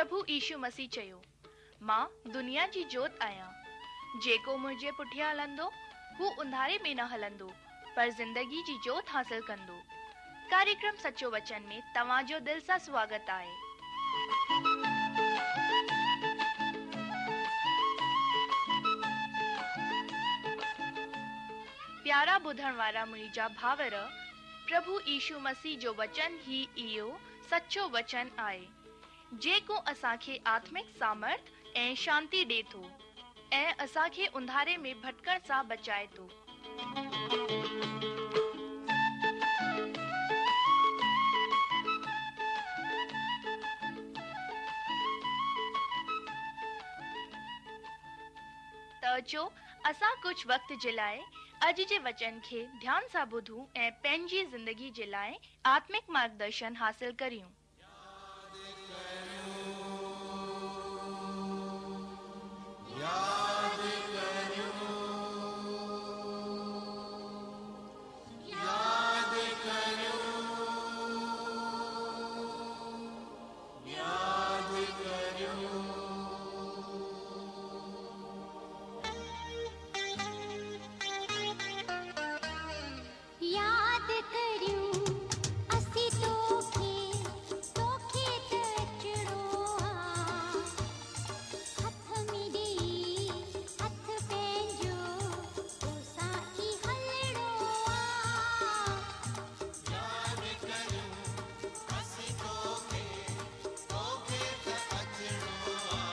پرڀو يشو مسيح چيو، مان دنيا جي جوت آهيان. جيڪو منهنجي پٺيان هلندو، هو انڌاري ۾ نه هلندو، پر زندگي جي جوت حاصل ڪندو. ڪاريڪرم سچو وچن ۾ توهان جو دل سان سواگت آهي. پيارا ٻڌڻ وارا منهنجا ڀائر، پرڀو يشو مسيح جو وچن ئي اهو سچو وچن آهي، جيڪو اسان کي آتمڪ سامرٿ ۽ شانتي ڏي ٿو ۽ اسان کي انڌاري ۾ ڀٽڪڻ سان بچائي ٿو. ته اچو اسان ڪجهه وقت جي لاء اڄ جي وچن کي ڌيان سان ٻڌون ۽ پنهنجي زندگي جي لاء آتمڪ مارگدرشن حاصل ڪريون. ياد ڪريون ياد ڪريون ياد ڪريون. ياد ڪريون اسين توکي، توکي ته اچڻو آ. هٿ ۾ ڏيئي هٿ پنهنجو، توسان ئي هلڻو آ. ياد ڪريون اسين توکي، توکي ته اچڻو آ.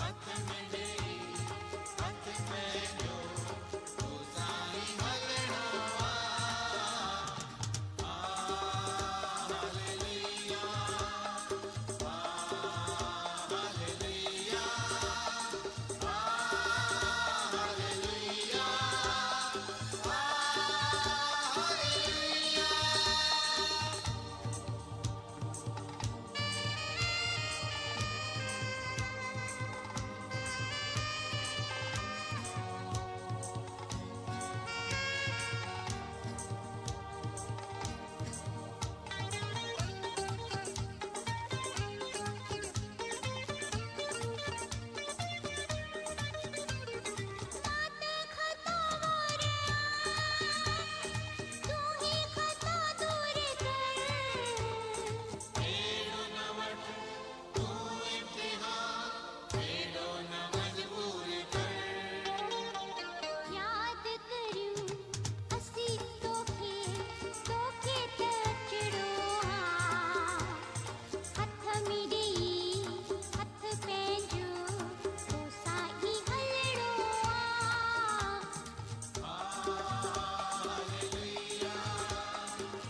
هٿ ۾ ڏيئي هٿ پنهنجو، توسان ئي هلڻو آ. Hallelujah, hallelujah, hallelujah, hallelujah. مان ته خطاوار آن، تون هي خطا دور ڪر. اهڙو نه وٺ تون امتحان، ايڏو نه مجبور ڪر. ياد ڪريون اسين توکي، توکي ته اچڻو آ. هٿ ۾ ڏيئي هٿ پنهنجو، توسان ئي هلڻو آ. Hallelujah, hallelujah,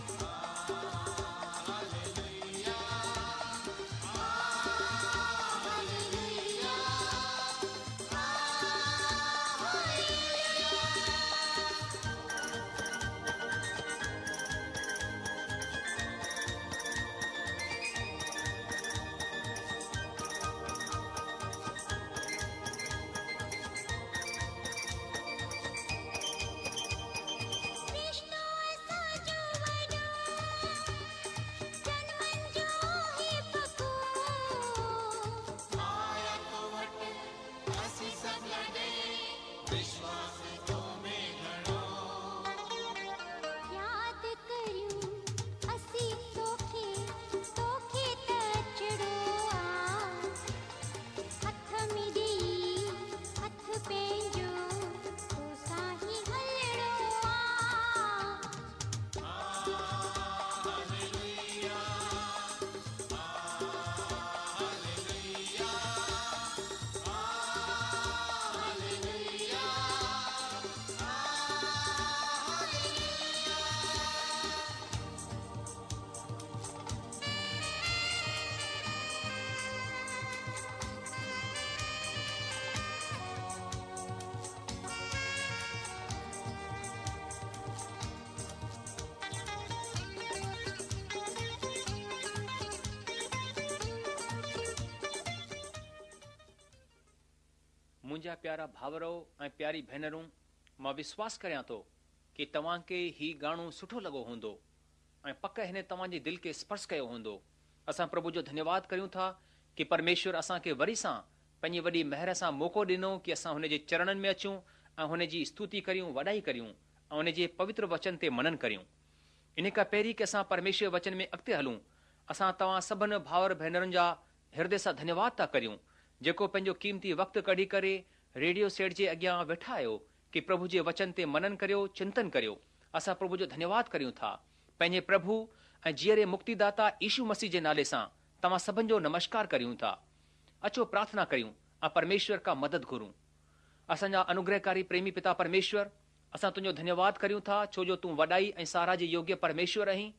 hallelujah, hallelujah. رشتو اسان جو وڏو، جنمن جو آهي پڪو. آيا تو وٽ اسين سڀ لڏي، وشواس تو ۾ گهڻو. ياد ڪريون اسين توکي، توکي ته اچڻو آ. هٿ ۾ ڏيئي هٿ پنهنجو، توسان ئي هلڻو آ. Hallelujah, hallelujah, hallelujah, hallelujah. منهنجا پيارا ڀائرؤ ۽ پياري ڀينرون، مان وشواس ڪريان ٿو ڪي توهان کي هي گاڻو سٺو لڳو هوندو ۽ پڪ هن توهان جي دل کي سپرش ڪيو هوندو. اسان پرڀو جو ڌنيواد ڪريون ٿا ڪي پرميشور اسان کي وري سان پنهنجي وڏي مهر سان موقعو ڏنو ڪي اسان هن جي چرڻن ۾ اچون ۽ هن جي استوتي ڪريون، وڏائي ڪريون ۽ هن جي پوتر وچن تي منن ڪريون. انهي کان پهرين ڪي اسان پرميشور وچن ۾ اڳتي هلون، اسان توهان سڀن ڀائر ڀينرن جا هردي سان ڌنيواد ٿا ڪريون جيڪو پنهنجو قيمتي وقت ڪڍي ڪري ريڊيو سيٽ جي اڳيان ويٺا آهيو ڪي پرڀو جي وچن تي منن ڪريو، چنتن ڪريو. اسان پرڀو جو ڌنيواد ڪريون ٿا. پنهنجي پرڀو ۽ جيئري مڪتيداتا يشو مسيح جي نالي سان توهان سڀن جو نمشڪار ڪريون ٿا. اچو پرارٿنا ڪريون ۽ پرميشور کان مدد گهرون. اسان جا انوگرهڪاري پريمي پتا پرميشور، اسان تنهنجو ڌنيواد ڪريون ٿا ڇو جو تون وڏائي ۽ ساراهه جي يوگيه پرميشور آهين.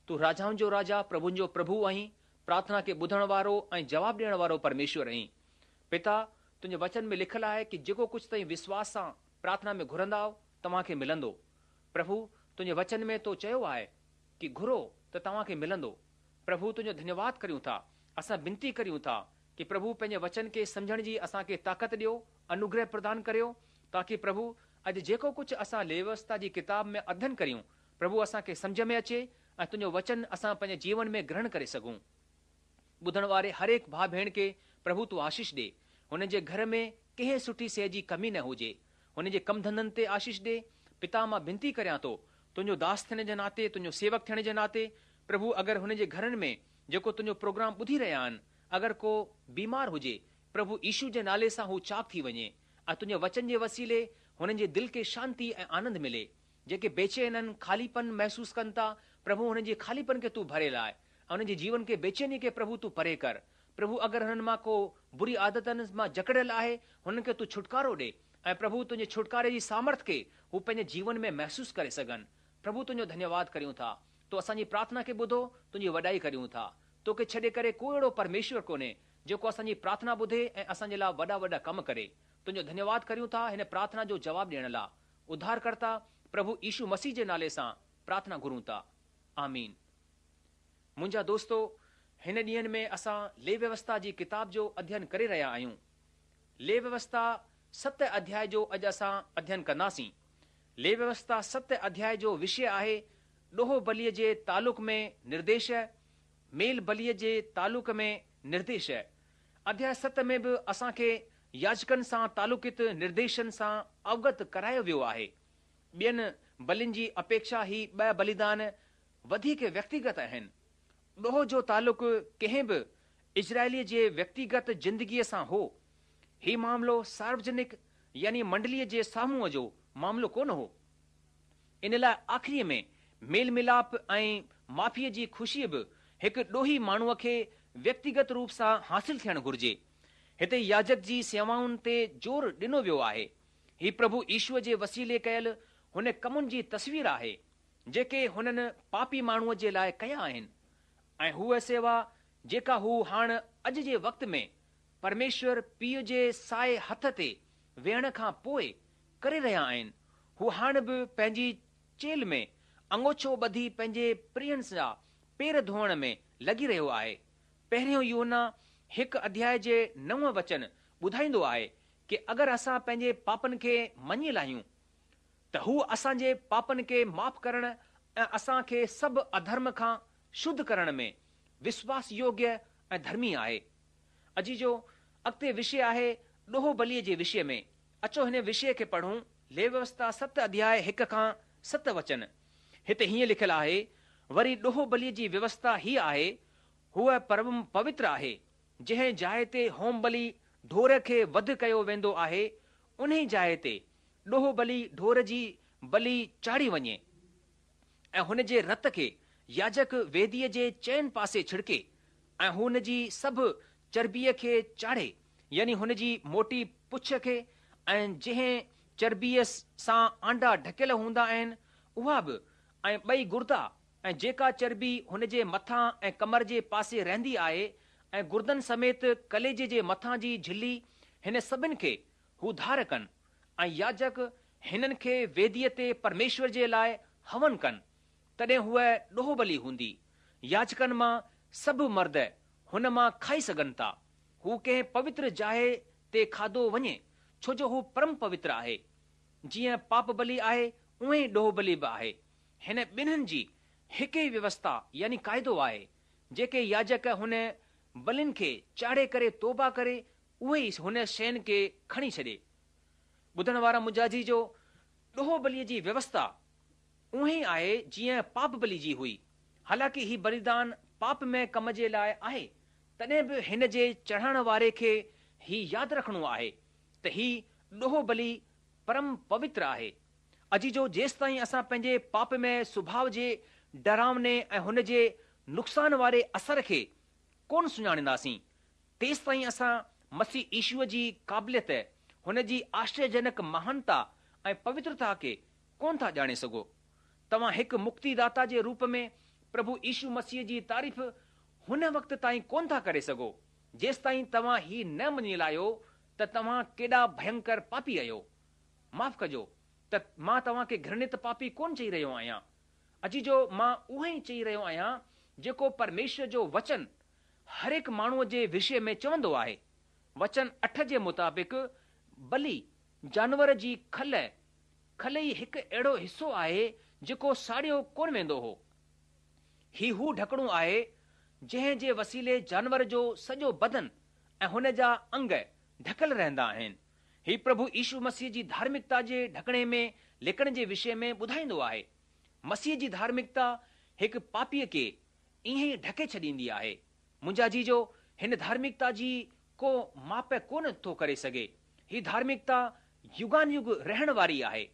تون راجائن جو راجا، پرڀن جو پرڀو آهين، پرارٿنا کي ٻڌڻ وارو ۽ جواب ڏيڻ وارو پرميشور آهين. پتا، تنهنجي وچن ۾ لکيل آهي ڪي جيڪو ڪجهه توهين وشواس سان پرارٿنا ۾ گهرندائو، توهان کي ملندو. پرڀو، تنهنجي وچن ۾ تو چيو آهي ڪي گهرو ته توهان کي ملندو. پرڀو تنهنجو ڌنيواد ڪريون ٿا. اسان بنتي ڪريون ٿا ڪي پرڀو پنهنجي وچن کي سمجهڻ جي اسان کي طاقت ڏيو، انوگره پردان ڪريو، تاڪي پرڀو اڄ جيڪو ڪجهه اسان ليويوسٿا جي ڪتاب ۾ اڌين ڪريون، پرڀو اسان کي سمجهه ۾ اچي ۽ تنهنجو وچن اسان پنهنجي جيون ۾ گرهڻ ڪري سگهون. ٻڌڻ واري هر هڪ ڀاء ڀيڻ کي پرڀو تون آشيش ڏي. هنن جي گهر ۾ ڪنهن سٺي شيء جي ڪمي نه هجي. هنن جي ڪم ڌنڌن تي آشيش ڏي. پتا مان بنتي ڪريان ٿو، تنهنجو داس ٿيڻ جي ناتي، تنهنجو سيوڪ ٿيڻ جي ناتي، پرڀو اگر هنن جي گهرن ۾ جيڪو تنهنجو پروگرام ٻڌي رهيا آهن، اگر ڪو بيمار هجي، پرڀو يشو جي نالي سان هو چاڪ ٿي وڃي ۽ تنهنجي وچن جي وسيلي هنن جي دل کي شانتي ۽ آنند ملي. جيڪي بيچين آهن، خاليپن محسوس ڪن ٿا، پرڀو هنن جي خاليپن کي تون ڀري لاء ۽ انهن جي جيون کي بيچيني کي پرڀو تون پري ڪر. پرڀو اگر هنن مان ڪو بري عادتن مان جڪڙيل آهي، هنن کي تون ڇوٽڪارو ڏي ۽ پرڀو تنهنجي ڇوٽڪاري جي سامرٿ کي هو پنهنجي جيون ۾ محسوس ڪري سگهن. پرڀو تنهنجو ڌنيواد ڪريون ٿا. تو اسان جي پرارٿنا کي ٻڌو، تنهنجي وڏائي ڪريون ٿا. توکي ڇڏي ڪري ڪو اهڙو پرميشور ڪونهي، جيڪو اسان جي پرارٿنا ٻڌي ۽ اسان جي لاء وڏا وڏا ڪم ڪري. تنهنجو ڌنيواد ڪريون ٿا هن پرارٿنا جو جواب ڏيڻ لاء. اڌارڪرتا پرڀو يشو مسيح جي نالي سان پرارٿنا گهرون ٿا. آمين. منهنجا دوستو، هن ڏينهن ۾ اسان ليويوسٿا جي ڪتاب جو اڌين ڪري رهيا آهيون. ليويوسٿا ست اڌياء جو اڄ اسان اڌين ڪنداسين. ليويوسٿا ست اڌياء جو وشيه آهي ڏوهه بليء جي تعلق ۾ نرديش، ميل بليء جي تعلق ۾ نرديش. اڌياء ست ۾ به اسان کي ياجڪن سان تعلقيت نرديشن سان اوگت ڪرايو ويو آهي. ٻين بلين جي اپيڪشا هي ٻه بليدان وڌيڪ ويڪتيگت آهن. ڏوهه جو تعلق ڪنهن به اسرائيليء جي ويڪتيگت زندگيء سان هو. هي معاملو ساروجنڪ يعني منڊليء جي سامهون جو معاملو ڪونه هو. ان لاء آخريء ۾ ميل ميلاپ ۽ معافيء جي خوشي به هڪ ڏوهي ماڻهوء کي ويڪتيگت روپ سان حاصل ٿيڻ گهرجي. هتي ياجڪ جي سيوائن تي زور ڏنو ويو آهي. هي پرڀو يشوء جي وسيلي ڪيل هن ڪمن جي تصوير آهي، جيڪي هنن پاپي ماڻهوء جي لاء ڪيا آهن ۽ هوء سيوا جيڪا هو هاڻ اڄ جي وقت ۾ پرميشور پيء جي سائي هٿ تي ويهڻ کان پوء ڪري رهيا آهن، هو هاڻ به پنهنجي چيلهه ۾ انگوڇو ٻڌي پنهنجي پرين جا پير ڌوئڻ ۾ لڳي رهيو آهي. پهريون يوحنا هڪ اڌياء جي نو وچن ٻڌائيندو آهي ڪي اگر اسان پنهنجي پاپن کي مڃي لاهيون ته هو اسان جي پاپن کي معاف ڪرڻ ۽ اسان کي سڀ اڌرم کان شڌ ڪرڻ ۾ وشواس يوگيه ۽ ڌرمي آهي. عزيزو، اڳتي وشيه آهي ڏوهه بليء جي وشيه ۾. اچو هن وشيه کي پڙهون، ليويوسٿا ست اڌياء هڪ کان ست وچن. هتي هيئن لکيل آهي، وري ڏوهه بليء جي ويوسٿا هيء آهي، هوء پرم پوتر آهي، جنهن جاء تي هوم بلي ڍور کي وڌ ڪيو ويندو آهي، انهي جاء تي ڏوهه بلي ڍور جي بلي چاڙهي وڃي ۽ هن جي رت کي ياجڪ ويديء جي چئن پاسي ڇڙڪي ۽ هن جي سڀ چربيء کي چاڙهي، يعني هن جي موٽي پڇ کي ۽ جنهن چربيء سان آنڊا ڍڪيل هوندا آهن، اها به، ۽ ٻئي گردا ۽ جيڪا چربي هن جي مٿان ۽ ڪمر جي پاسي رهندي آهي ۽ گردن سميت ڪليجي جي مٿان جي جهلي، هن سڀن کي هو ڌار ڪن، ۽ ياجڪ هنن کي ويديء تي پرميشور جي لاء هون ڪن، تڏهن هوء ڏوهه بلي هوندي. ياجڪن مان سڀ مرد هن مان کائي سگهن ٿا. هو ڪنهن پوتر جاء تي کاڌو وڃي، ڇو جو هو پرم پوتر آهي. جيئن پاپ بلي آهي، اونئين ئي ڏوهه بلي به آهي. هن ٻنهين جي هڪ ئي ويوسٿا يعني قاعدو آهي. جيڪي ياجڪ هن بلين کي چاڙهي ڪري توبه ڪري اهي ئي هن شين کي کڻي ڇڏي. ٻڌڻ وارا منهنجا عزيزو، ڏوهه بليء جي ويوسٿا اونهي ئي آهي جيئن پاپ بلي جي هئي. حالانڪه هي بليدان پاپ مئي ڪم جي لاء آهي، تڏهن به هن جي چڙهائڻ واري کي هي ياد رکڻو آهي ته هي ڏوهه بلي پرم پوتر آهي. عزيزو، جيستائين اسان پنهنجي پاپ مئي سڀاء جي ڊراوني ۽ هن جي نقصان واري اثر کي ڪونه سڃاڻينداسين، تيستائين اسان مسيح يشوع جي قابليت، هن جي آشچريجنڪ مهانتا ۽ پوترتا کي ڪونه ٿا ڄاڻي سگهو. توهان هڪ مڪتي داتا جي روپ ۾ پرڀو يشو مسيح جي تعريف هن وقت تائين ڪونه ٿا ڪري سگهو، جيستائين توهان هي نه مڃي لاهيو ته توهان ڪيڏا ڀينڪر پاپي آهيو. معاف ڪجو ته مان توهان کي گهرڻت پاپي ڪونه چئي رهيو آهيان. عزيزو، مان اهو ئي چئي رهيو آهيان جيڪو پرميشور جو وچن هر هڪ ماڻهوء جي وشي ۾ چوندو آهي. وچن اٺ جي مطابق بلي جانور جي کل، کل ئي هڪ اهڙو حصو آهي جيڪو ساڙيو ڪونه ويندو هو. هي هو ڍڪڻو آهي جنهن جي وسيلي جانور جو سڄو بدن ۽ هن جا انگ ڍڪيل رهندا آهن. هي پرڀو يشو مسيح جي ڌارمڪتا جي ڍڪڻي ۾ لڪڻ جي وشي ۾ ٻڌائيندو آهي. مسيح جي ڌارمڪتا هڪ پاپيء کي ائين ئي ڍڪي ڇڏيندي آهي. منهنجا عزيزو، هن ڌارمڪتا جي ڪو ماپ ڪونه ٿو ڪري سگهي. هي ڌارمڪتا يگان يگ رهڻ واري آهي.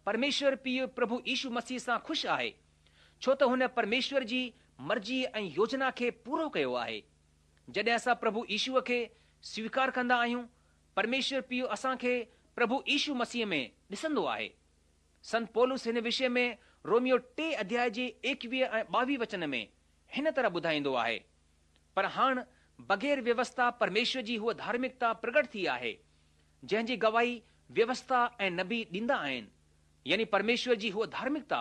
پرميشور پيء پرڀو يشو مسيح سان خوش آهي، ڇو ته هن پرميشور جي مرضي ۽ يوجنا کي پورو ڪيو آهي. جڏهن اسان پرڀو يشوء کي سويڪار ڪندا آهيون، پرميشور پيء اسان کي پرڀو يشو مسيح ۾ ڏسندو آهي. سنت پولس هن وشي ۾ روميو ٽي اڌياء جي ايڪويهه ۽ ٻاويهه وچن ۾ هن طرح ٻڌائيندو آهي، پر هاڻ بغير ويوسٿا پرميشور جي هوء ڌارمڪتا پرگٽ ٿي آهي، جنهن جي گواهي ويوسٿا ۽ نبي ڏيندا آهن، يعني پرميشور جي هوء ڌارمڪتا،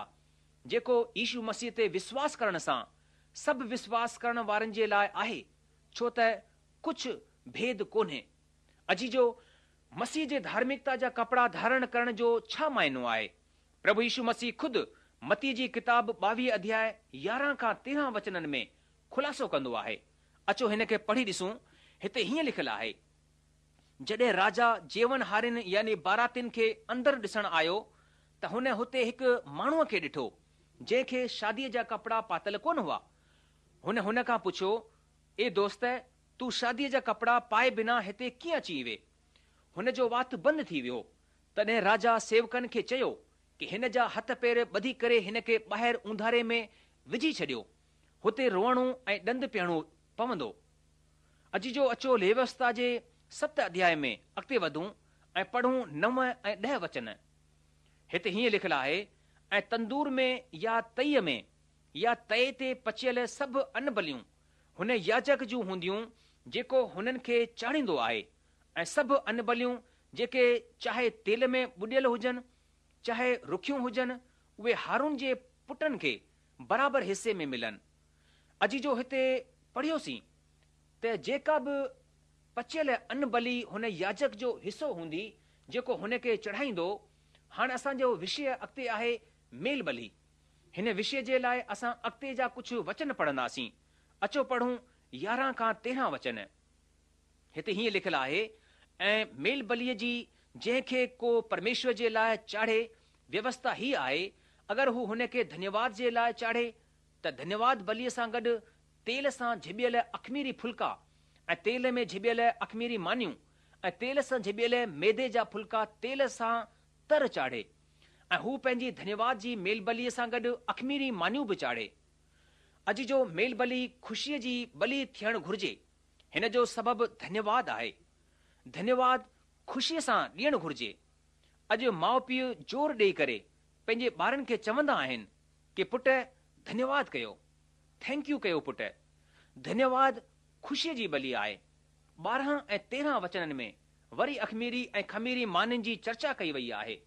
جيڪو يشو مسيح تي وشواس ڪرڻ سان سڀ وشواس ڪرڻ وارن جي لاء آهي، ڇو ته ڪجهه ڀيد ڪونهي. عزيزو، مسيح جي ڌارمڪتا جا ڪپڙا ڌارڻ ڪرڻ جو ڇا معنو آهي؟ پرڀو يشو مسيح خود متيء جي ڪتاب ٻاويهه اڌياء 11 کان 13 وچنن ۾ خلاصو ڪندو آهي. اچو هن کي پڙهي ڏسون. هتي هيئن لکيل آهي، جڏهن راجا جيون هارين يعني باراتين کي اندر ڏسڻ آيو ته هن هتي هڪ ماڻهوء کي ڏٺو، جنهن کي شاديء جا ڪپڙا پاتل ڪونه هئا. هن هن کان پڇيو، اي دوست! تون شاديء جا ڪپڙا پائي بنا هتي ڪيئن اچي وئين؟ هن جو وات بند ٿي ويو. تڏهن راجا سيوڪن کي چيو ڪي هن جا هٿ پير ٻڌي ڪري هن کي ٻاهر اونڌاري ۾ وجهي ڇڏيو. هتي روئڻو ۽ ڏند پيهڻو پوندو. عزيزو اچو ليويوسٿا جي ست اڌياء ۾ اڳتي وڌون ۽ پڙهون نو ۽ ڏهه وچن. هتي هيئن لکيل آهي، ۽ تندور ۾ يا تئيء ۾ يا تئي تي پچيل سڀ ان بليون هن ياجڪ جون هونديون جيڪو هنن کي چاڙهيندو آهي ۽ سڀ ان بليون جيڪي چاهي تيل ۾ ٻڏيل هجن چاهي رکيون هجن اهي هارون جي پٽن کي برابر حصي ۾ ملن. عزيزو هتي پڙهيوسين ته جيڪا به پچيل ان بلي هن ياجڪ جو حصو هوندي جيڪو هن کي چڙهائيندو. هاڻ اسان جو وشيه اڳتي آهي ميل بلي. هن وشيه جي لاء اسان اڳتي جا ڪجهه وچن پڙهنداسين. اچو پڙهون 11 کان 13 وچن. هتي هيئن لکيل آهي، ۽ ميل بليء جي جنهن کي ڪو پرميشور جي لاء چاڙهي، ويوسٿا هيء آهي، اگر هو هن کي ڌنيواد جي لاء چاڙهي، ته ڌنيواد بليء سان گڏ تيل سان جهٻيل اخميري ڦلڪا، ۽ تيل ۾ جهٻيل اخميري مانيون، ۽ تيل سان جهٻيل ميدي جا ڦلڪا تيل سان تر چاڙهي. ۽ هو پنهنجي ڌنيواد جي ميل بليء سان گڏ اخميري مانيون به چاڙهي. عزيزو ميل بلي خوشيء جي بلي ٿيڻ گهرجي. هن جو سبب ڌنيواد آهي. ڌنيواد خوشيء سان ڏيڻ گهرجي. اڄ ماء پيء زور ڏيئي ڪري پنهنجي ٻارن کي چوندا آهن ڪي پٽ ڌنيواد ڪيو. Thank you ڪيو پٽ. ڌنيواد خوشيء جي بلي آهي. 12 ۽ 13 وچنن ۾ وري اخميري ۽ خميري مانين جي چرچا ڪئي وئي آهي.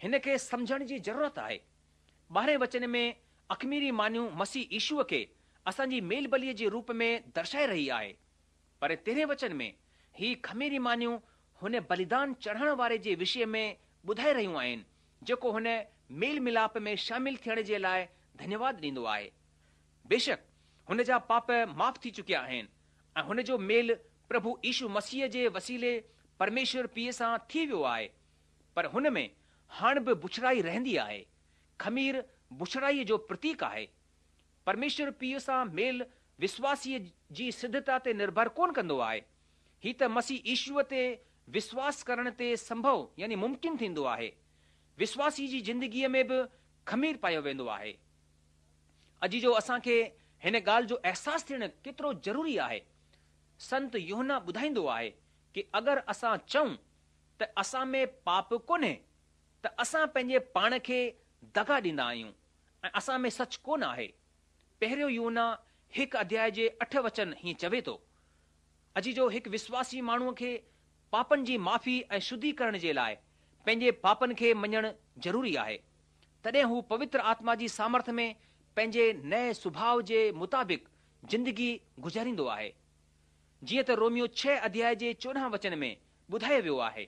هن کي سمجهڻ جي ضرورت آهي. ٻارهين وچن ۾ اخميري مانيون مسيح يشوء کي اسان جي ميل بليء جي روپ ۾ درشائي رهي آهي. پر تيرهين وچن ۾ هي خميري مانيون هن بليدان چڙهڻ واري جي وشي ۾ ٻڌائي رهيون آهن جيڪو هن ميل ملاپ ۾ شامل ٿيڻ جي لاء ڌنيواد ڏيندو آهي. بيشڪ! هن جا پاپ معاف ٿي چڪيا آهن ۽ هن جو ميل پرڀو يشو مسيح جي وسيلي پرميشور پيء سان ٿي ويو آهي، پر هن ۾ هاڻ به بڇڙائي رهندي آهي. خمير بڇڙائيء جو پرتيڪ آهي. پرميشور پيء سان ميل وسواسيء جي سڌتا تي نرڀر ڪونه ڪندو آهي. هي ته مسيح يشوء تي وسواس ڪرڻ تي سنڀو يعني ممڪن ٿيندو آهي. وسواسي جي زندگيء ۾ به خمير پايو ويندو آهي. عزيزو اسان کي هن ڳالهه جو احساس ٿيڻ ڪيترو ضروري آهي. سنت يوحنا ٻڌائيندو آهي ڪي اگر اسان چئون ته اسان ۾ پاپ ڪونهي ته اسان پنهنجي پاڻ کي دغا ڏيندا آهيون ۽ اسان ۾ سچ ڪونه آهي. پهريون يوحنا هڪ اڌياء جي اٺ وچن هيئن چوي ٿو. عزيزو هڪ وسواسي ماڻهوء کي پاپن جي معافي ۽ شڌيڪرڻ جي لاء پنهنجي پاپن کي مڃڻ ضروري آهي. تڏهن هو پوتر آتما جي سامرٿ ۾ پنهنجي نئين سڀاء جي مطابق زندگي گذاريندو آهي. جيئن ته روميو ڇهه اڌياء جي 14 وچن ۾ ٻڌايو ويو آهي،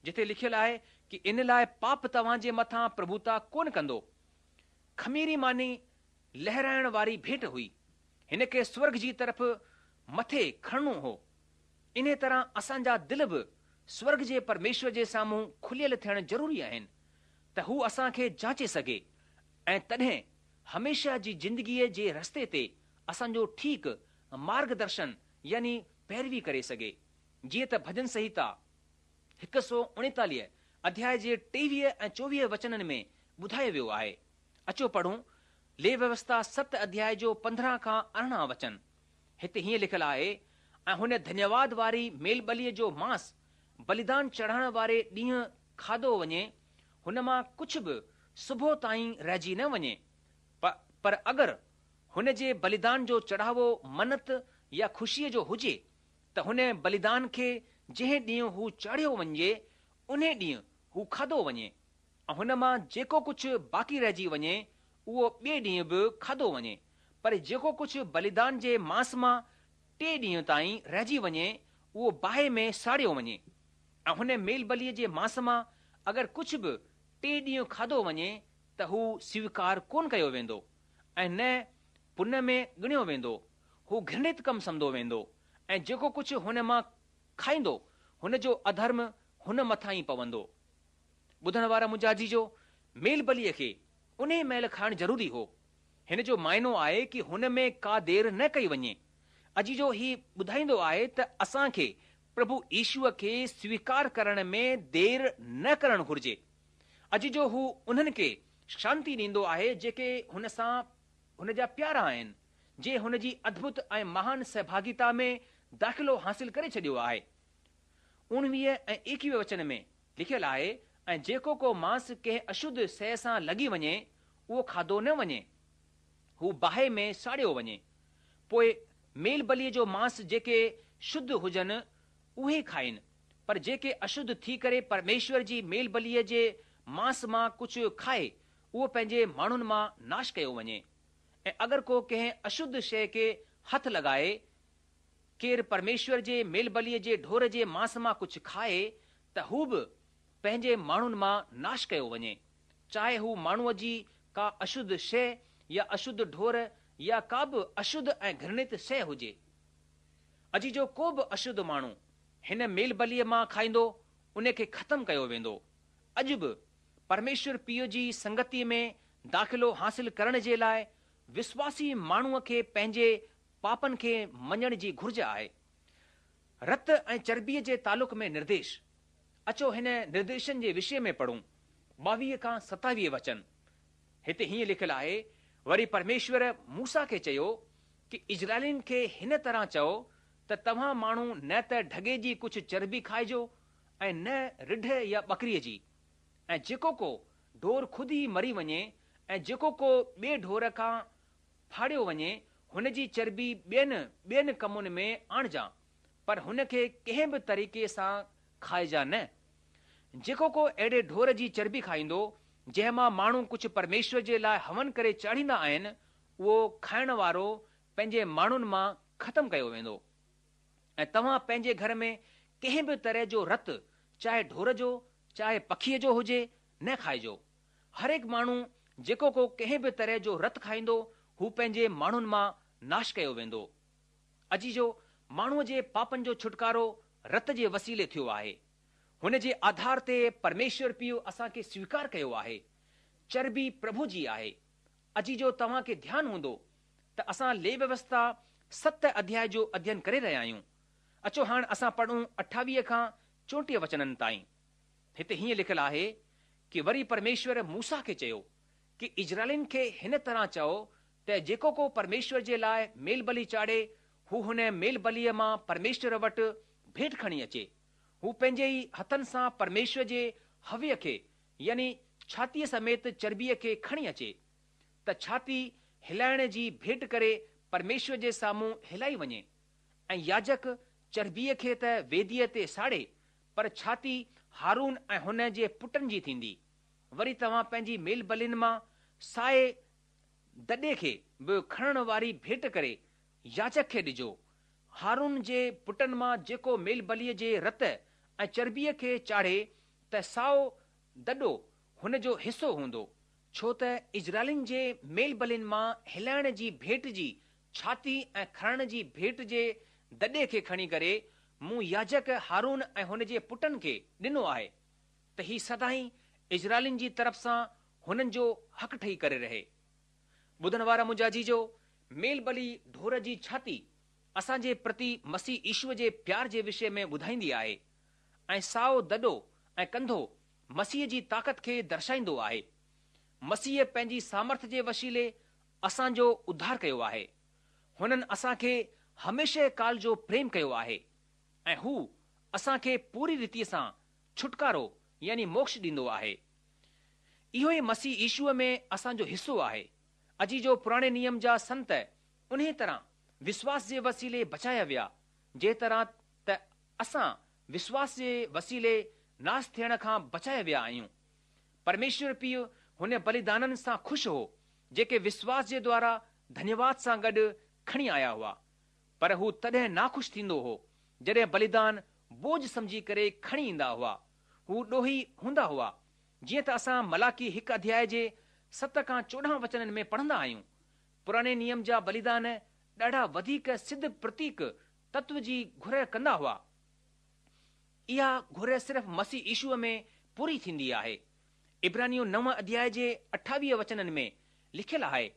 جتي لکيل آهي ڪي ان لاء پاپ توهان جي مٿان پرڀوتا ڪونه ڪندو. خميري ماني لهرائڻ واري ڀيٽ هئي. هن کي سورڳ جي طرف مٿي کڻڻو هو. انهيء طرح اسان جا دل به سورڳ جي پرميشور جي سامهون کليل ٿيڻ ضروري آهن ته هو اسان کي جانچي سگهي ۽ تڏهن هميشه جي زندگيء جي رستي تي اسان جو ٺيڪ مارگ درشن يعني پيروي ڪري سگهي. جيئن ته ڀڄن سنهتا 139 اڌياء جي 23 ۽ 24 وچنن ۾ ٻڌايو ويو آهي. اچو پڙهون ليويوسٿا ست اڌياء جو 15 کان 18 وچن. هتي هيئن لکيل آهي، ۽ هن ڌنيواد واري ميلٻليء جو مانس بليدان چڙهائڻ واري ڏينهن کاڌو وڃي، هن مان ڪجهه به صبح تائين رهجي نه وڃي، پر اگر هن جي بليدان جو چڙهاوو منت يا خوشيء جو هجي، ته هن بليدان کي جنهن ڏينهن هو چاڙهيو وڃي، انهي ڏينهن هو کاڌو وڃي، ۽ هن مان جيڪو ڪجهه باقي رهجي وڃي، اهو ٻئي ڏينهن به کاڌو وڃي، پر جيڪو ڪجهه بليدان جي مانس مان ٽئين ڏينهن تائين رهجي وڃي، اهو باهه ۾ ساڙيو وڃي. ۽ هن ميلبليء جي مانس مان اگر ڪجهه به ٽئين ڏينهن کاڌو وڃي ته هو سويڪار ڪونه ڪيو ويندو، ۽ نه پن ۾ ڳڻيو ويندو، هو گهرڻت ڪم سمڌو ويندو، ۽ جيڪو ڪجهه هن مان کائيندو، هن جو اڌرم هن مٿان ئي پوندو. ٻڌڻ وارا منهنجا عزيزو، ميل بليء کي انهيء مهل کائڻ ضروري هو. هن جو معنو آهي ڪي هن ۾ ڪا دير نه ڪئي وڃي. عزيزو هي ٻڌائيندو آهي ته اسان کي پرڀو يشوء کي سويڪار ڪرڻ ۾ دير نه ڪرڻ گهرجي. عزيزو هو انهن کي شانتي ڏيندو آهي جيڪي هن سان هن جا پيارا آهن، جنهن هن جي ادڀت ۽ مهان سهڀاڳيتا ۾ داخلو حاصل ڪري ڇڏيو آهي. اوڻويهه ۽ ايڪويهه وچن ۾ لکيل آهي، ۽ جيڪو ڪو مانس ڪنهن اشڌ شيء سان لڳي وڃي، اهو کاڌو نه وڃي، هو باهه ۾ ساڙيو وڃي. پوء ميل بليء جو مانس جيڪي شڌ هجن، اهي کائين، پر جيڪي اشڌ ٿي ڪري پرميشور جي ميل بليء جي مانس مان ڪجهه کائي، اهو پنهنجي ماڻهن مان ناش ڪيو وڃي. ۽ اگر ڪو ڪنهن اشڌ شيء کي هٿ لڳائي، ڪير پرميشور جي ميل بليء جي ڍور جي مانس مان ڪجهه کائي ته هو به پنهنجي ماڻهن مان ناش ڪيو وڃي، چاهي هو ماڻهوء جي ڪا اشڌ شيء يا اشڌ ڍور يا ڪا به اشڌ ۽ گهرڻت شيء هجي. عزيزو ڪو به اشڌ ماڻهو هن ميل بليء مان کائيندو، ان کي ختم ڪيو ويندو. اڄ به پرميشور پيء جي سنگتيء ۾ داخلو حاصل ڪرڻ جي لاء وسواسي ماڻهوء کي پنهنجي پاپن کي مڃڻ جي گهرج آهي. رت ۽ چرٻيء جي تعلق ۾ نرديش. اچو هن نرديشن جي وشي ۾ پڙهون، 22 کان 27 وچن. هتي هيئن لکيل آهي، وري پرميشور موسيٰ کي چيو ڪي اسرائيلين کي هن طرح چئو ته توهان ماڻهو نه ته ڍڳي جي ڪجهه چرٻي کائجو ۽ نه رڍ يا ٻڪريء جي. ۽ جيڪو ڪو ڍور خود ئي مري وڃي ۽ جيڪو ڪو ٻئي ڍور کان ڦاڙيو وڃي، هن جي چرٻي ٻين ٻين ڪمن ۾ آڻجان، پر هن کي ڪنهن به طريقي سان کائجان نه. جيڪو ڪو اهڙي ڍور جي چرٻي کائيندو، جنهن مان ماڻهو ڪجهه پرميشور جي لاء هون ڪري چاڙهيندا آهن، اهو کائڻ وارو پنهنجي ماڻهن مان ختم ڪيو ويندو. ۽ توهان پنهنجي گهر ۾ ڪنهن به طرح جو رت، چاهي ڍور جو، چاهي پکيء جو هجي، نه کائجو. هرهڪ ماڻهو جيڪو ڪو ڪنهن به طرح جو رت کائيندو، هو پنهنجي ماڻهن مان ناش ڪيو ويندو. عزيزو، ماڻهوء جي پاپن جو ڇوٽڪارو رت جي وسيلي ٿيو آهي. هن جي آڌار تي پرميشور پيء اسان کي سويڪار ڪيو آهي. چربي پرڀو جي آهي. عزيزو توهان کي ڌيان هوندو ته اسان ليويوسٿا ست اڌياء جو اڌين ڪري رهيا آهيون. اچو هاڻ اسان پڙهون 28 کان 34 وچنن تائين. هتي هيئن لکيل آهي ڪي وري پرميشور موسيٰ کي چيو ڪي اسرائيلين کي هن طرح چئو ته جيڪو ڪو پرميشور جي لاء ميل بلي چاڙهي هو هن ميل بليء مان پرميشور وٽ ڀيٽ کڻي اچي. هو پنهنجي ئي هٿن سان پرميشور جي هويه کي يعني ڇاتيء سميت چربيء کي کڻي اچي، ته ڇاتي هلائڻ جي ڀيٽ ڪري پرميشور جي سامهون هلائي وڃي، ۽ ياجڪ چربيء کي ته ويديء تي ساڙي، پر ڇاتي هارون ۽ هن جي پٽن جي ٿيندي. وري توهان پنهنجي ميل بلين مان سائي دڏي کي به کڻڻ واري ڀيٽ ڪري ياجڪ کي ڏجو. هارون جي پٽن مان جيڪو ميل بليء جي رت ۽ چربيء کي چاڙهي ته سائو دڏو هن جو حصو هوندو، ڇو ته اسرائيلين جي ميل بلين مان هلائڻ جي ڀيٽ جي ڇاتي ۽ کڻڻ جي ڀيٽ جي دڏي کي کڻي ڪري مون ياجڪ هارون ۽ هن جي پٽن کي ڏنو آهي ته هي سدائين اسرائيلين جي طرف سان هنن جو حق ٺهي ڪري رهي. ٻڌڻ وارا منهنجا عزيزو، ميل بلي ڍور جي ڇاتي اسان جي پرتي مسيح يشوء جي پيار جي وشي ۾ ٻڌائيندي آهي ۽ سائو دڏو ۽ ڪنڌو مسيح جي طاقت کي درشائيندو آهي. مسيح پنهنجي سامرٿ جي وسيلي اسان جو اڌار ڪيو آهي. هنن اسان کي هميشه ڪال جو پريم ڪيو آهي ۽ هو اسان کي پوري ريتيء سان ڇوٽڪارو يعني موڪش ڏيندو آهي. اهو ئي مسيح يشوء ۾ اسان جو حصو آهي. عزيزو پراڻي نيم جا سنت انهيء طرح وشواس جي وسيلي بچايا ويا، جنهن طرح ته اسان وشواس جي وسيلي ناس ٿيڻ کان بچايا ويا آهيون. پرميشور پيء هن بليدانن سان خوش هو، جيڪي وشواس جي دوارا ڌنيواد سان گڏ کڻي آيا هئا. پر هو تڏهن ناخوش ٿيندو هو، جڏهن بليدان بوجه سمجهي ڪري کڻي ايندا هئا. هو ڏوهي هوندا هئا. جيئن ته اسان ملاڪي هڪ اڌياء جي ست کان 14 وچنن ۾ پڙهندا آهيون. پراڻي نيم جا بليدان ڏاڍا وڌيڪ سڌ پرتيڪ تتو جي گهر ڪندا هئا. اها گهر صرف مسيح يشوء ۾ پوري ٿيندي آهي. عبرانيون نو اڌياء جي 28 وچنن ۾ لکيل آهي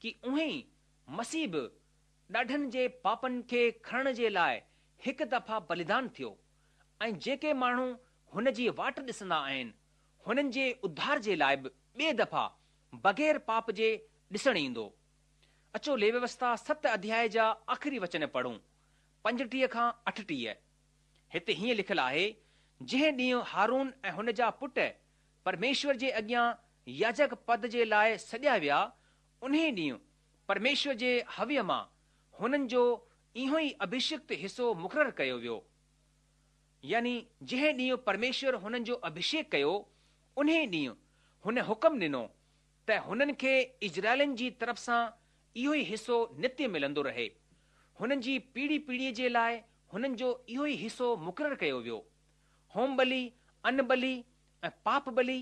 ڪي اونهي ئي مسيح به ڏاڍن جي پاپن کي کڻڻ جي لاء هڪ دفعا بليدان ٿيو ۽ جيڪي ماڻهو هن جي واٽ ڏسندا آهن هنن جي اڌار جي لاء به ٻئي دفعا بغير پاپ جي ڏسڻ ايندو. اچو ليويوسٿا ست اڌياء جا آخري وچن پڙهون، 35 کان 38. هتي هيئن لکيل آهي، جنهن ڏينهن هارون ۽ هن جا پٽ پرميشور جي اڳيان ياجڪ پد جي لاء سڏيا ويا، انهي ڏينهن پرميشور جي هويه مان هنن جو اهو ئي اڀشڪت حصو مقرر ڪيو ويو. يعني جنهن ڏينهن پرميشور هنن جو اڀشيڪ ڪيو، انهي ڏينهن هن حڪم ڏنو ته هنن کي اسرائيلين جي طرف سان اهو ئي حصو نتيه ملندو رهي. هنن جي پيڙهي پيڙهيء جي لاء هنن جو اهو ئي حصو مقرر ڪيو ويو. هوم ٻلي، ان ٻلي ۽ پاپ ٻلي،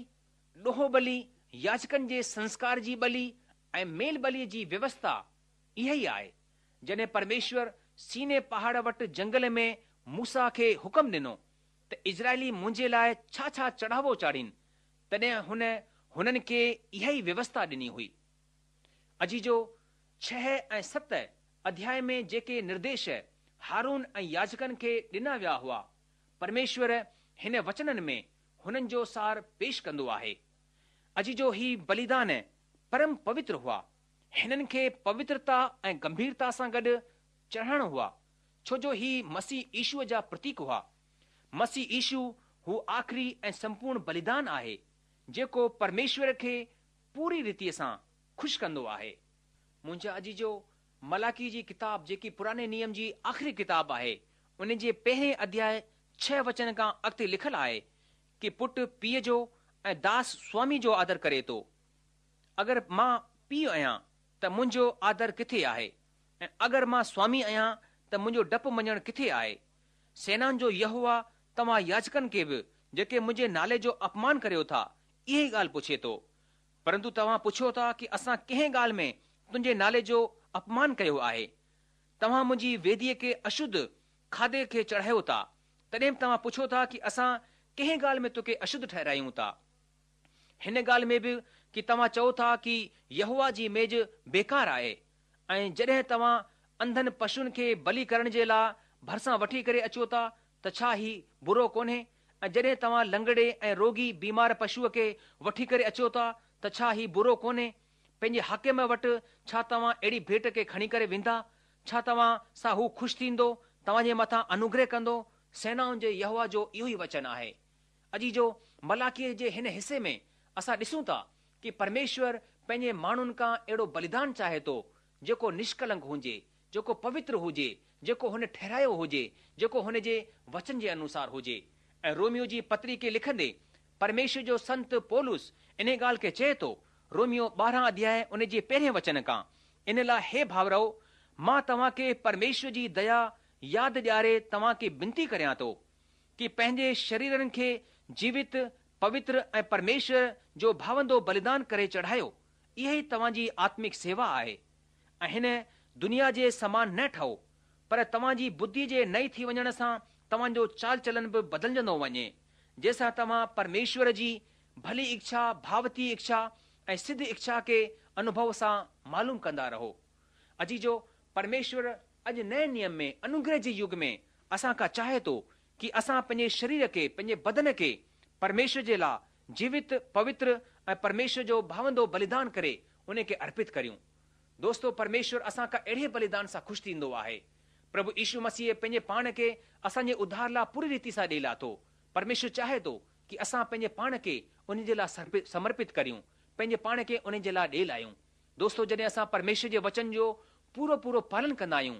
ڏوهه ٻلي، ياجڪن جي سنسڪار جي ٻلي ۽ ميل ٻليء جي ويوسٿا اها ئي آهي. جڏهن پرميشور سيني پهاڙ وٽ جنگل ۾ موسيٰ کي حڪم ڏنو ته اسرائيلي منهنجي لاء ڇا ڇا چڙهاوو چاڙهين، تڏهن هن هنن کي اها ئي ويوسٿا ڏني هئي. عزيزو، ڇهه ۽ ست اڌياء ۾ جيڪي نرديش هارون ۽ ياجڪن کي ڏنا ويا هئا، پرميشور هن وچنن ۾ هنن جو سار پيش ڪندو آهي. عزيزو، هي بليدان پرم پوتر هئا. هنن کي پوترتا ۽ گنڀيرتا سان گڏ چڙهائڻو هئا، ڇو جو هي مسيح يشوء جا پرتيڪ هئا. مسيح يشو هو آخري ۽ سمپورڻ بليدان آهي، جيڪو پرميشور کي پوري ريتيء سان خوش ڪندو آهي. منهنجا عزيزو، ملاڪي جي ڪتاب جيڪي پراڻي نيم جي آخري ڪتاب آهي، ان جي پهرين اڌياء ڇهه وچن کان اڳتي لکيل آهي ڪي پٽ پيء جو ۽ داس سوامي جو آدر ڪري ٿو. اگر مان پيء آهيان ته منهنجو آدر ڪٿي آهي؟ ۽ اگر مان سوامي آهيان ته منهنجو ڊپ مڃڻ ڪٿي آهي؟ سينائن جو يهوه توهان ياجڪن کي به، جيڪي منهنجي نالي جو اپمان ڪريو ٿا، اها ئي ڳالهه پڇي ٿو. پرنتو توهان پڇو ٿا ڪي اسان ڪنهن ڳالهه ۾ تنهنجي نالي جو اپمان ڪيو آهي. توهان منهنجي ويديء کي اشڌ کاڌي کي چڙهايو ٿا، تڏهن به توهان پڇو ٿا ڪي اسان ڪنهن ڳالهه ۾ توکي اشڌ ٺهرايون ٿا؟ هن ڳالهه ۾ به ڪي توهان چئو ٿا ڪي يهوه جي ميز بيڪار آهي ۽ جڏهن توهان انڌن پشوئن کي بلي ڪرڻ جي لاء ڀرسان وٺي ڪري اچو ٿا ته ڇا هي برو ڪونهي؟ ۽ جڏهن توهان لنگڙي ۽ روڳي بيمار پشوء کي وٺي ڪري اچو ٿا ته ڇا هي برو ڪونهي؟ پنهنجي حاڪم وٽ ڇا توهان اهڙي ڀيٽ کي کڻي ڪري ويندا؟ ڇا توهان سان هو خوش ٿيندو، توهان جي مٿان انوگره ڪندو؟ سينائن جي يهوه جو اهو ئي وچن آهي. عزيزو، ملاڪيء جي هن حصي ۾ اسان ڏسون ٿا ڪي پرميشور پنهنجي ماڻهن کان اهڙو بليدان چاهي ٿو، جيڪو نشڪلنڪ هجي، جيڪو پوتر هجي، جيڪو هن ٺهرايو هجي، جيڪو هن جي وچن جي انوسار هجي. ۽ روميو جي پتري کي لکندي پرميشور جو سنت پولس انهي ڳالهه کي چئي ٿو، روميو 12 اڌياء ان جي پهرين وچن کان، ان لاء هي ڀائرؤ، مان توهان کي پرميشور جي ديا ياد ڏياري توهان کي بنتي ڪريان ٿو، ڪي پنهنجي شريرن کي جيوت، پوتر ۽ پرميشور جو ڀاوندو بليدان ڪري چڙهايو، اها ئي توهان جي آتمڪ سيوا آهي. ۽ هن دنيا جي سمان نه ٺهو، پر توهان جي ٻڌي جي نئين ٿي وڃڻ سان توهان جو چال چلن به بدلجندو وڃي، جنهن سان توهان پرميشور جي ڀلي اڇا، ڀاوتي اڇا ۽ سڌ اڇا کي انوڀو سان معلوم ڪندا رهو. عزيزو، پرميشور اڄ نئين نيم ۾ انوگره جي يگ ۾ اسان کان چاهي ٿو ڪي اسان پنهنجي شرير کي، پنهنجي بدن کي پرميشور جي لاء جيوت، پوتر ۽ پرميشور جو ڀاوندو بليدان ڪري ان کي ارپت ڪريون. دوستو پرميشور اسان کان اهڙي بليدان سان خوش ٿيندو آهي. پرڀو يشو مسيح پنهنجي پاڻ کي اسان جي اڌار لاء پوري ريتي سان ڏئي لاٿو. پرميشور چاهي ٿو ڪي اسان پنهنجي پاڻ کي ان جي لاء سمرپت ڪريون، پنهنجي پاڻ کي ان جي لاء ڏئي لاهيون. دوستو جڏهن اسان پرميشور جي وچن جو پورو پورو پالن ڪندا آهيون،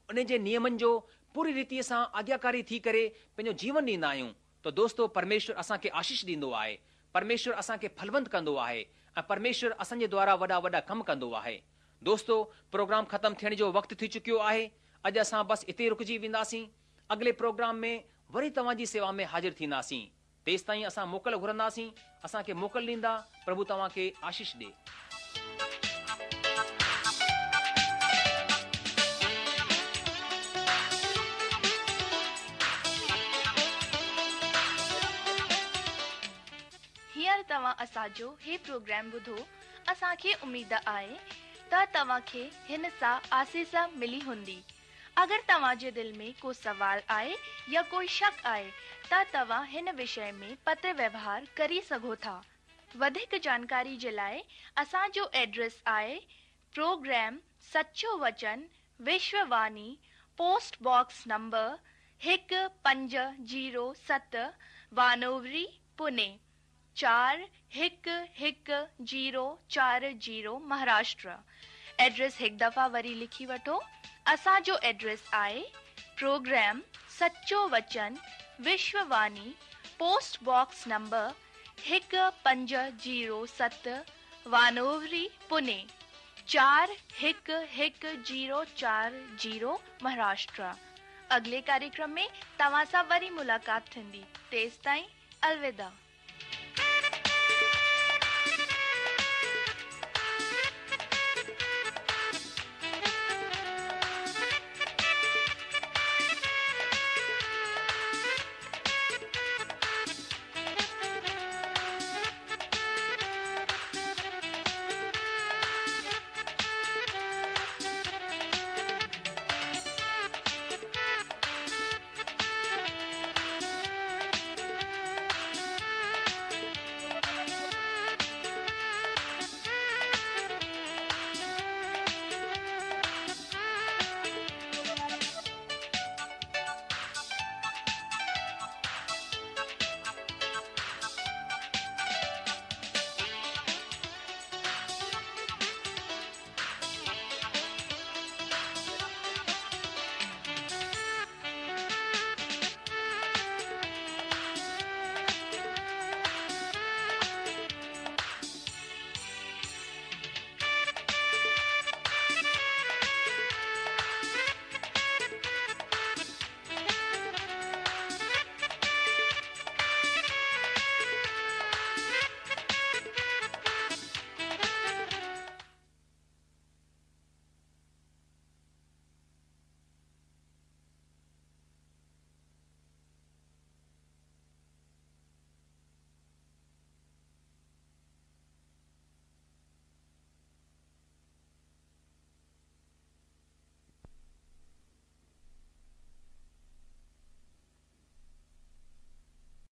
ان جي نيمن جو پوري ريتي سان آگياڪاري ٿي ڪري پنهنجو جيون ڏيندا آهيون ته دوستو پرميشور اسان کي آشيش ڏيندو آهي، پرميشور اسان کي ڦلونت ڪندو آهي ۽ پرميشور اسان جي دوارا وڏا وڏا ڪم ڪندو آهي. دوستو پروگرام ختم ٿيڻ جو وقت ٿي چڪيو آهي، اڄ اسان بس اتي ئي رڪجي وينداسين، اڳلي پروگرام ۾ وري توهان جي سيوا ۾ حاضر ٿينداسين. تيستائين اسان موڪل گهرنداسين، اسان کي موڪل ڏيندا، پرڀو توهان کي آشيش ڏي. هينئر توهان اسان جو هي پروگرام ٻڌو، اسان کي اميد آهي ته توهان کي هن سان آسيس ملي هوندي. اگر توهان جي دل ۾ ڪو سوال آهي يا ڪوئي شڪ آهي ته توهان هن وشي ۾ پتر ويوهار ڪري سگهو ٿا. وڌيڪ جانڪاري جي لاء اسان جو ايڊريس آهي پروگرام سچو وچن Vishwa Vani post box number 1507 Wanowrie Pune 4 1 1 0 4 0 Maharashtra address هڪ دفعا وري لکي وٺو اسان جو ايڊريس آهي پروگرام سچو وچن Vishwa post box number 1507 Wanowrie Pune 4 1 1 0 4 0 Maharashtra اڳلي ڪاريڪرم ۾ توهان سان وري ملاقات ٿيندي تيستائين الوداع.